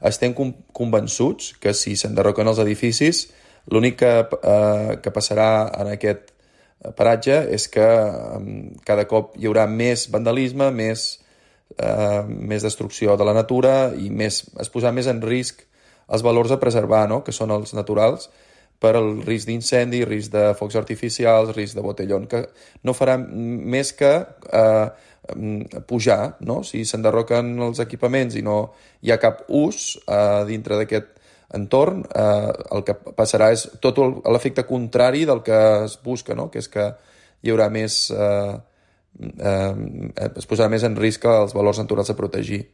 estem convençuts que si s'enderroquen els edificis, l'únic que passarà en aquest paratge és que cada cop hi haurà més vandalisme, més destrucció de la natura i es posarà més en risc els valors a preservar, no? Que són els naturals, per al risc d'incendi, risc de focs artificials, risc de botellón, que no farà més que pujar, no? Si s'enderroquen els equipaments i no hi ha cap ús dintre d'aquest entorn, el que passarà és tot l'efecte contrari del que es busca, no? Que és que hi haurà més... es posarà més en risc els valors naturals a protegir.